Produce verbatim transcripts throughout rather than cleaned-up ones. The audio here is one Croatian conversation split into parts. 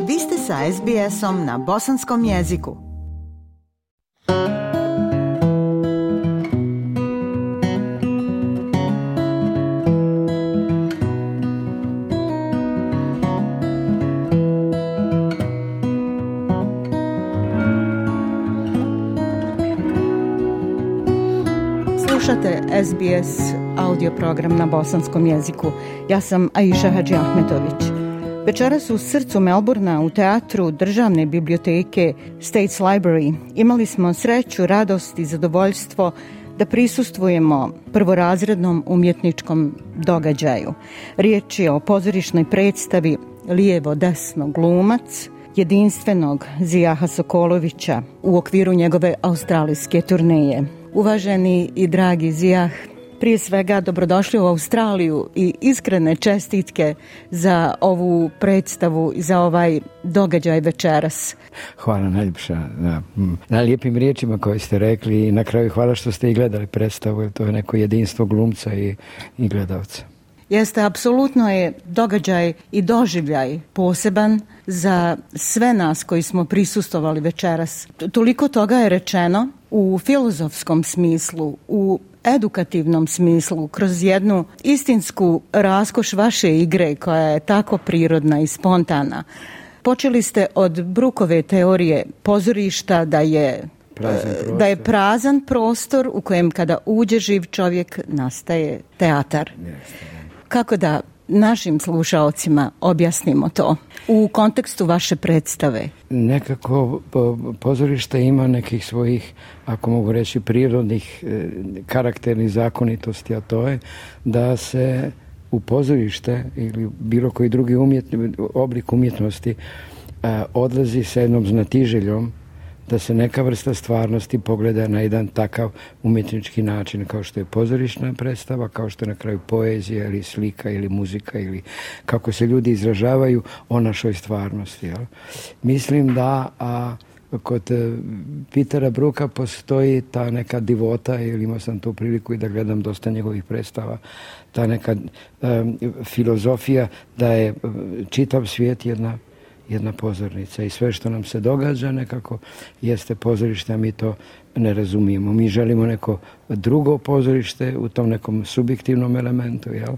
Vi ste sa es be esom na bosanskom jeziku. Slušate es be es audio program na bosanskom jeziku. Ja sam Aisha Hadži Ahmetović. Večeras u srcu Melbourna u teatru Državne biblioteke States Library imali smo sreću, radost i zadovoljstvo da prisustvujemo prvorazrednom umjetničkom događaju. Riječ je o pozorišnoj predstavi Lijevo-desno glumac jedinstvenog Zijaha Sokolovića u okviru njegove australijske turneje. Uvaženi i dragi Zijah, prije svega dobrodošli u Australiju i iskrene čestitke za ovu predstavu i za ovaj događaj večeras. Hvala najljepša na, na lijepim riječima koje ste rekli i na kraju hvala što ste i gledali predstavu, jer to je neko jedinstvo glumca i, i gledalca. Jeste, apsolutno je događaj i doživljaj poseban za sve nas koji smo prisustvovali večeras. Toliko toga je rečeno u filozofskom smislu, u edukativnom smislu, kroz jednu istinsku raskoš vaše igre koja je tako prirodna i spontana. Počeli ste od Brookove teorije pozorišta da je, da je prazan prostor u kojem kada uđe živ čovjek nastaje teatar. Kako da našim slušaocima objasnimo to u kontekstu vaše predstave? Nekako pozorište ima nekih svojih, ako mogu reći, prirodnih karakternih zakonitosti, a to je da se u pozorište ili bilo koji drugi umjetni, oblik umjetnosti odlazi sa jednom znatiželjom da se neka vrsta stvarnosti pogleda na jedan takav umjetnički način kao što je pozorišna predstava, kao što je na kraju poezija ili slika ili muzika ili kako se ljudi izražavaju o našoj stvarnosti. Jel? Mislim da a, kod Petera Brooka postoji ta neka divota, ili imao sam tu priliku i da gledam dosta njegovih predstava, ta neka um, filozofija da je čitav svijet jedna jedna pozornica i sve što nam se događa nekako jeste pozorište, a mi to ne razumijemo. Mi želimo neko drugo pozorište u tom nekom subjektivnom elementu, jel?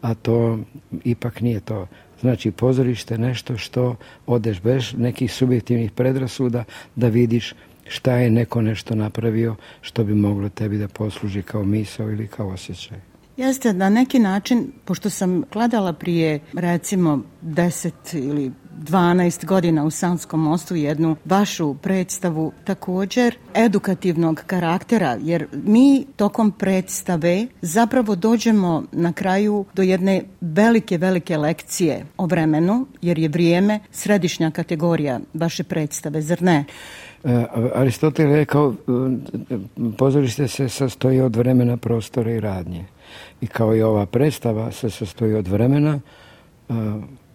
A to ipak nije to. Znači, pozorište je nešto što odeš bez nekih subjektivnih predrasuda da vidiš šta je neko nešto napravio što bi moglo tebi da posluži kao misao ili kao osjećaj. Jeste, na neki način, pošto sam gledala prije recimo deset ili dvanaest godina u Sanskom mostu jednu vašu predstavu također edukativnog karaktera, jer mi tokom predstave zapravo dođemo na kraju do jedne velike, velike lekcije o vremenu, jer je vrijeme središnja kategorija vaše predstave, zar ne? Aristotel je rekao, pozorište se sastoji od vremena, prostora i radnje. I kao i ova predstava se sastoji od vremena,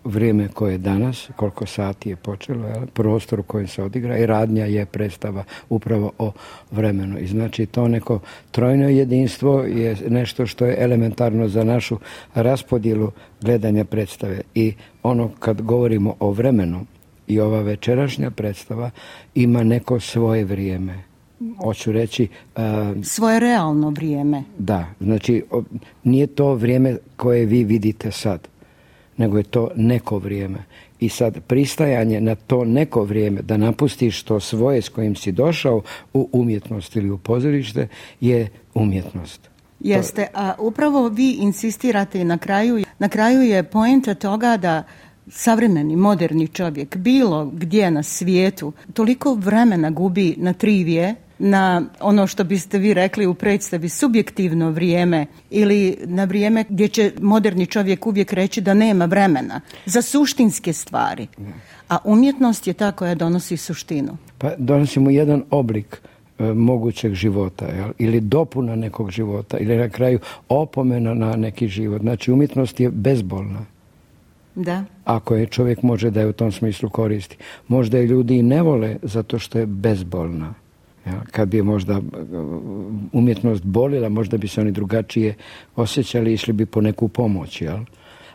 vrijeme koje je danas, koliko sati je počelo, jel? Prostor u kojem se odigra i radnja je predstava upravo o vremenu. I znači to neko trojno jedinstvo je nešto što je elementarno za našu raspodjelu gledanja predstave. I ono kad govorimo o vremenu i ova večerašnja predstava ima neko svoje vrijeme. Hoću reći... Uh, svoje realno vrijeme. Da, znači nije to vrijeme koje vi vidite sad, nego je to neko vrijeme. I sad pristajanje na to neko vrijeme, da napustiš to svoje s kojim si došao u umjetnost ili u pozorište, je umjetnost. Jeste, a upravo vi insistirate na kraju, na kraju je poenta toga da savremeni, moderni čovjek, bilo gdje na svijetu, toliko vremena gubi na trivije, na ono što biste vi rekli u predstavi subjektivno vrijeme ili na vrijeme gdje će moderni čovjek uvijek reći da nema vremena za suštinske stvari. A umjetnost je ta koja donosi suštinu. Pa donosimo jedan oblik e, mogućeg života, jel? Ili dopuna nekog života ili na kraju opomena na neki život. Znači umjetnost je bezbolna. Da. Ako je čovjek može da je u tom smislu koristi. Možda je ljudi i ne vole zato što je bezbolna. Ja, kad bi možda umjetnost bolila, možda bi se oni drugačije osjećali, išli bi po neku pomoć, jel?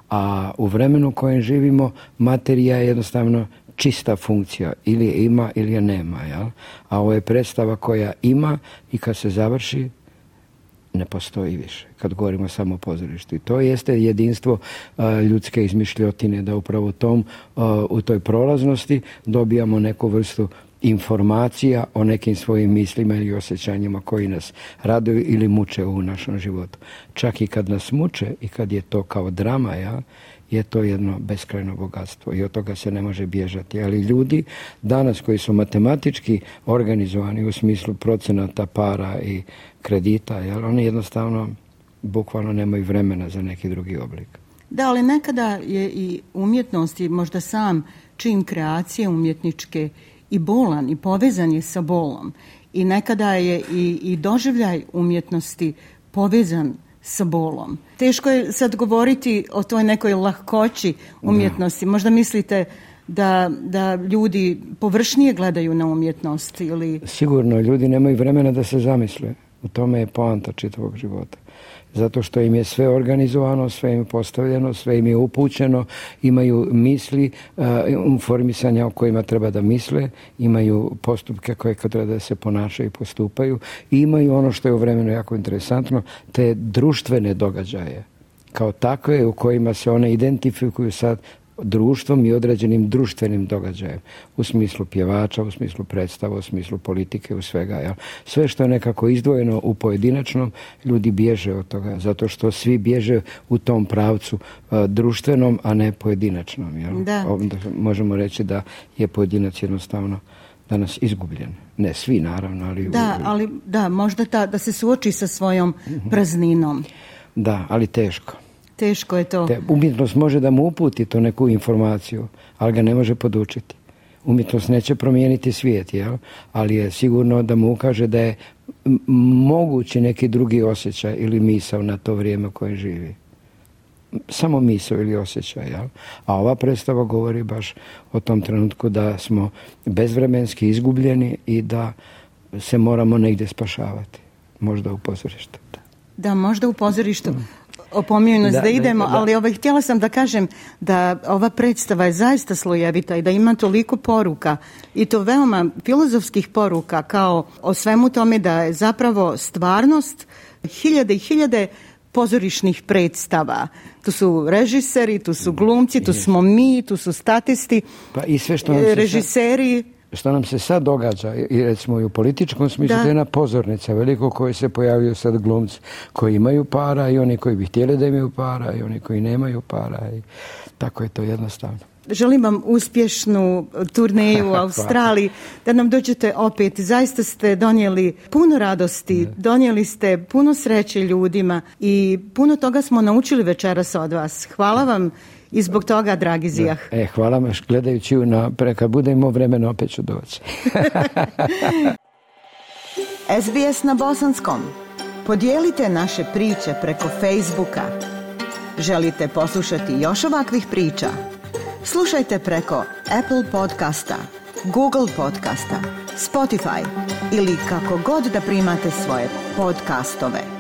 A u vremenu u kojem živimo, materija je jednostavno čista funkcija, ili je ima ili je nema, jel? A ovo je predstava koja ima i kad se završi ne postoji više, kad govorimo samo o pozorištu. I to jeste jedinstvo a, ljudske izmišljotine, da upravo tom, a, u toj prolaznosti dobijamo neku vrstu informacija o nekim svojim mislima ili osjećanjima koji nas raduju ili muče u našem životu. Čak i kad nas muče i kad je to kao drama, ja, je to jedno beskrajno bogatstvo i od toga se ne može bježati. Ali ljudi danas koji su matematički organizovani u smislu procenata para i kredita, jel, oni jednostavno bukvalno nemaju vremena za neki drugi oblik. Da, ali nekada je i umjetnost i možda sam čin kreacije umjetničke i bolan i povezan je sa bolom. I nekada je i, i doživljaj umjetnosti povezan sa bolom. Teško je sad govoriti o toj nekoj lahkoći umjetnosti. Da. Možda mislite da, da ljudi površnije gledaju na umjetnost ili... Sigurno, ljudi nemaju vremena da se zamisle. U tome je poanta čitavog života. Zato što im je sve organizovano, sve im je postavljeno, sve im je upućeno, imaju misli, uh, informisanja o kojima treba da misle, imaju postupke koje treba da se ponašaju i postupaju i imaju ono što je u vremenu jako interesantno, te društvene događaje kao takve u kojima se one identifikuju sad društvom i određenim društvenim događajem. U smislu pjevača, u smislu predstava, u smislu politike, u svega. Ja. Sve što je nekako izdvojeno u pojedinačnom, ljudi bježe od toga, zato što svi bježe u tom pravcu a, društvenom, a ne pojedinačnom. Ja. Da. Onda možemo reći da je pojedinac jednostavno danas izgubljen. Ne svi, naravno, ali... Da, ali da, možda ta, da se suoči sa svojom prazninom. Da, ali teško. Teško je to. Te, umjetnost može da mu uputi to neku informaciju, ali ga ne može podučiti. Umjetnost neće promijeniti svijet, jel? Ali je sigurno da mu ukaže da je mogući neki drugi osjećaj ili misao na to vrijeme koje živi. Samo misao ili osjećaj, jel? A ova predstava govori baš o tom trenutku da smo bezvremenski izgubljeni i da se moramo negdje spašavati. Možda u pozorištu. Da, da možda u pozorištu. Mm. Opominju nas da, da idemo, da, da. Ali ovaj, htjela sam da kažem da ova predstava je zaista slojevita i da ima toliko poruka i to veoma filozofskih poruka kao o svemu tome da je zapravo stvarnost hiljade i hiljade pozorišnih predstava. Tu su režiseri, tu su glumci, tu smo mi, tu su statisti, pa i sve što nam se režiseri. Sad... Što nam se sad događa, i recimo i u političkom smislu, to je jedna pozornica veliko koje se pojavljaju sad glumci koji imaju para i oni koji bi htjeli da imaju para i oni koji nemaju para i tako je to jednostavno. Želim vam uspješnu turneju u Australiji, da nam dođete opet. Zaista ste donijeli puno radosti, donijeli ste puno sreće ljudima i puno toga smo naučili večeras od vas. Hvala vam. I zbog toga, dragi Zijah. E, hvala vam, gledajući na, kad budemo vremena, opet ću doći. S B S na bosanskom. Podijelite naše priče preko Facebooka. Želite poslušati još ovakvih priča? Slušajte preko Apple podcasta, Google podcasta, Spotify ili kako god da primate svoje podcastove.